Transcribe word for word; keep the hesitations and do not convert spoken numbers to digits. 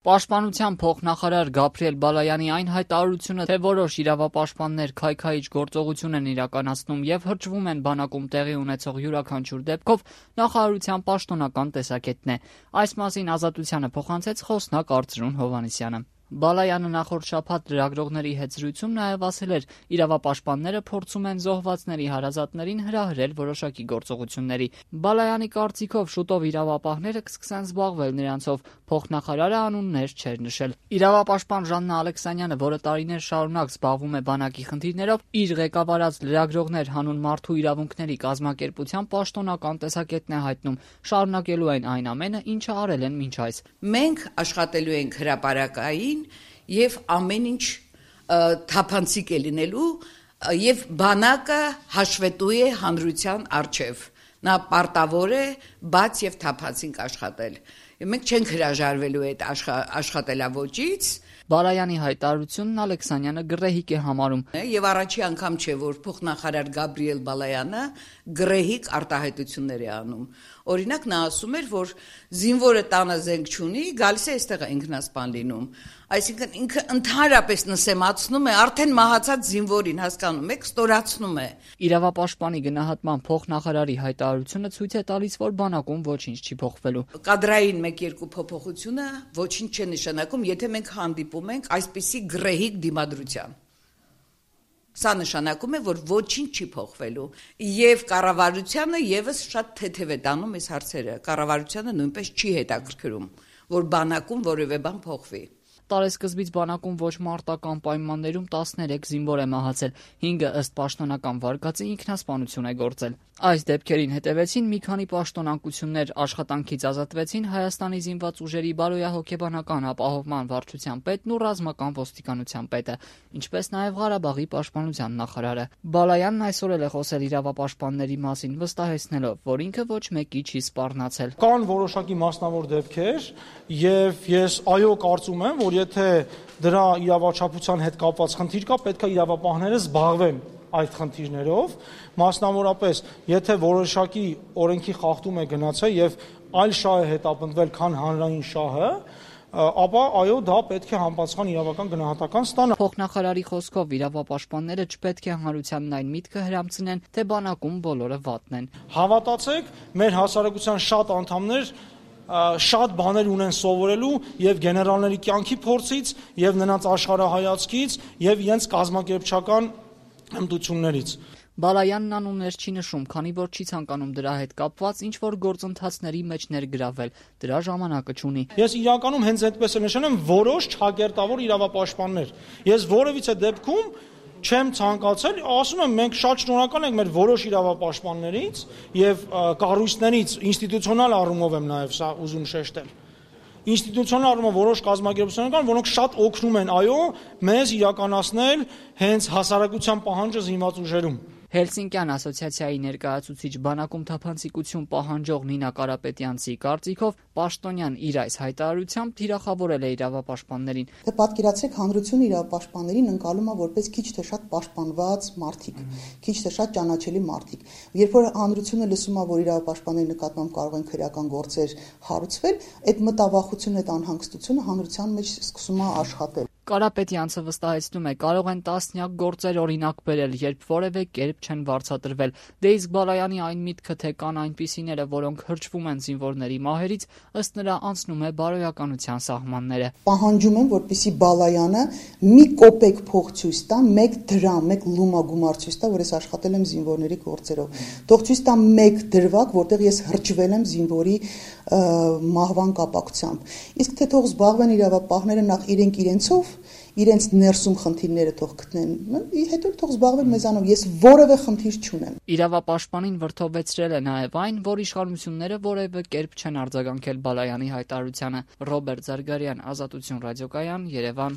Պաշտպանության փոխնախարար Գաբրիել Բալայանի այն հայտարարությունը, թե որոշ իրավապաշտպաններ քայքայիչ գործողություն են իրականացնում եւ հրճվում են բանակում տեղի ունեցող յուրաքանչյուր դեպքով, նախարարության պաշտոնական տեսակետն է։ Այս մասին Ազատությանը փոխանցեց խոսնակ Արծրուն Հովհաննիսյանը։ Բալայանը նախորդ շաբաթ լրագրողների հետ զրույցում նաև ասել էր, իրավապաշտպանները փորձում են զոհվածների հարազատներին հրահրել որոշակի գործողությունների։ Բալայանի կարծիքով շուտով իրավապահները կսկսեն զբաղվել նրանցով, փոխնախարարը անուններ չէր նշել։ Իրավապաշտպան Ժաննա Ալեքսանյանը, որը տարիներ շարունակ զբաղվում է բանակի խնդիրներով, իր ղեկավարած լրագրողներ հանուն մարդու իրավունքների կազմակերպության պաշտոնական տեսակետն է հայտնում, շարունակելու են այն ամենը, ինչը արել են մինչ այս։ Մենք աշխատելու ենք հրապարակային եւ ամեն ինչ թափանցիկ է լինելու եւ բանակը հաշվետու է հանրության առջեւ, նա պարտավոր է բաց եւ թափանցիկ աշխատել։ Մենք չենք հրաժարվելու այդ աշխատելավոճից։ Բալայանի հայտարարությունն Ալեքսանյանը գռեհիկ է համարում եւ առաջի անգամ չէ, որ փոխնախարար Գաբրիել Բալայանը գռեհիկ արտահայտություններ է անում։ Օրինակ նա ասում էր, որ զինվորը տանը զենք չունի, գալիս է այստեղ ինքնասպան լինում։ Այսինքն ինքը ընդհանրապես նսեմացնում է արդեն մահացած զինվորին, հասկանում եք, ստորացնում է։ Իրավապաշտպանի գնահատման փոխնախարարի հայտարարությունը ցույց է տալիս, որ բանակում ոչինչ չի փոխվելու։ Կադրային մեկ-երկու փոփոխությունը ոչինչ չի նշանակում, եթե մենք հանդիպում ենք այսպիսի գռեհիկ դիմադրության։ Սա նշանակում է, որ ոչինչ չի փոխվելու, եւ կառավարությանը եւս շատ թեթև է տանում այս հարցերը։ Կառավարությանը նույնպես չի հետաքրքրում, որ բանակում որևէ բան փոխվի։ Տարեսկզբից բանակում ոչ մարտական պայմաններում տասներեք զինվոր է մահացել, հինգը ըստ պաշտոնական վարկածի ինքնասպանություն է գործել։ Այս դեպքերին հետևեցին մի քանի պաշտոնանկություններ, աշխատանքից ազատվեցին Հայաստանի զինված ուժերի բարոյահոգեբանական ապահովման վարչության պետն ու ռազմական ոստիկանության պետը, ինչպես նաև Ղարաբաղի պաշտպանության նախարարը։ Բալայանն այսօր էլ է խոսել իրավապաշտպանների մասին, վստահեցնելով, որ ինքը ոչ մեկի չի սպառնացել։ Կան որոշակի մասնավոր դեպքեր, եւ ես այո կարծում եմ, որ եթե դրա իրավաչափության հետ կապված խնդիր կա, պետք է իրավապահները զբաղվեն այդ խնդիրներով, մասնավորապես, եթե որոշակի օրենքի խախտում է գնացել եւ այլ շահ է հետապնդվել, քան հանրային շահը, ապա այո, դա պետք է համապատասխան իրավական գնահատական ստանա։ Փոխնախարարի խոսքով իրավապաշտպանները չպետք է հանրությանն այն միտքը հրամցնեն, թե բանակում բոլորը վատն են։ Հավատացեք, մեր հասարակության շատ անդամներ շատ բաներ ունեն սովորելու եւ գեներալների կյանքի փորձից եւ նրանց աշխարհայացքից եւ իրենց կազմակերպչական հմտություններից։ Բալայանն անուններ չի նշում, քանի որ չի ցանկանում դրա հետ կապված ինչ որ գործընթացների մեջ ներգրավել, դրա ժամանակը չունի։ Ես իրականում հենց այդպես եմ նշանում որոշ չակերտավոր իրավապաշտպաններ։ Ես որևիցե դեպքում չեմ ցանկացել, ասում եմ, մենք շատ շնորհակալ ենք մեր որոշ իրավապաշտպաններից եւ կառույցներից, ինստիտուցիոնալ առումով եմ նաեւ սա ուզում շեշտել։ Ինստիտուցիոնալ առումով որոշ կազմակերպություններ կան, որոնք շատ օգնում են, այո, մեզ իրականացնել հենց հասարակության պահանջը զինված ուժերում։ Հելսինկյան ասոցիացիայի ներկայացուցիչ բանակում թափանցիկություն պահանջող Նինա Կարապետյանցի կարծիքով պաշտոնյան իր այս հայտարարությամբ թիրախավորել է իրավապաշտպաններին։ Դե պատկերացրեք, հանրությունը իրավապաշտպաններին ընկալում է որպես քիչ թե շատ պաշտպանված մարդիկ, քիչ թե շատ ճանաչելի մարդիկ։ Երբ որ հանրությունը լսում է, որ իրավապաշտպանների նկատմամբ կարող են քրեական գործեր հարուցվել, այդ մտավախությունը, այդ անհանգստությունը հանրության մեջ սկսում է աշխատել։ Կարապետյանցը վստահեցնում է, կարող են տասնյակ գործեր օրինակ բերել, երբ որևէ կերպ չեն վարձատրվել։ Դե իսկ Բալայանի այն միտքը, թե կան այնպիսիները, որոնք հրճվում են զինվորների մահերից, ըստ նրա անցնում է բարոյականության սահմանները։ Պահանջում եմ, որպեսզի Բալայանը մի կոպեկ փող ցույց տա, մեկ դրամ, մեկ լումա գումար ցույց տա, որ ես աշխատել եմ զինվորների գործերով։ Թող ցույց տա մեկ դրվագ, որտեղ ես հրճվել եմ զինվորի մահվան կապակցությամբ։ Իսկ թե թող զբաղվեն իրավապահները նախ իրենք իրենցով, իրենց ներսում խնդիրները թող գտնեն, հետո թող զբաղվեն մեզանով, ես որևէ խնդիր չունեմ։ Իրավապաշտպանին վրդովեցրել է նաև այն, որ իշխանությունները որևէ կերպ չեն արձագանքել Բալայանի հայտարարությանը։ Ռոբերտ Զարգարյան, Ազատություն ռադիոկայան, Երևան։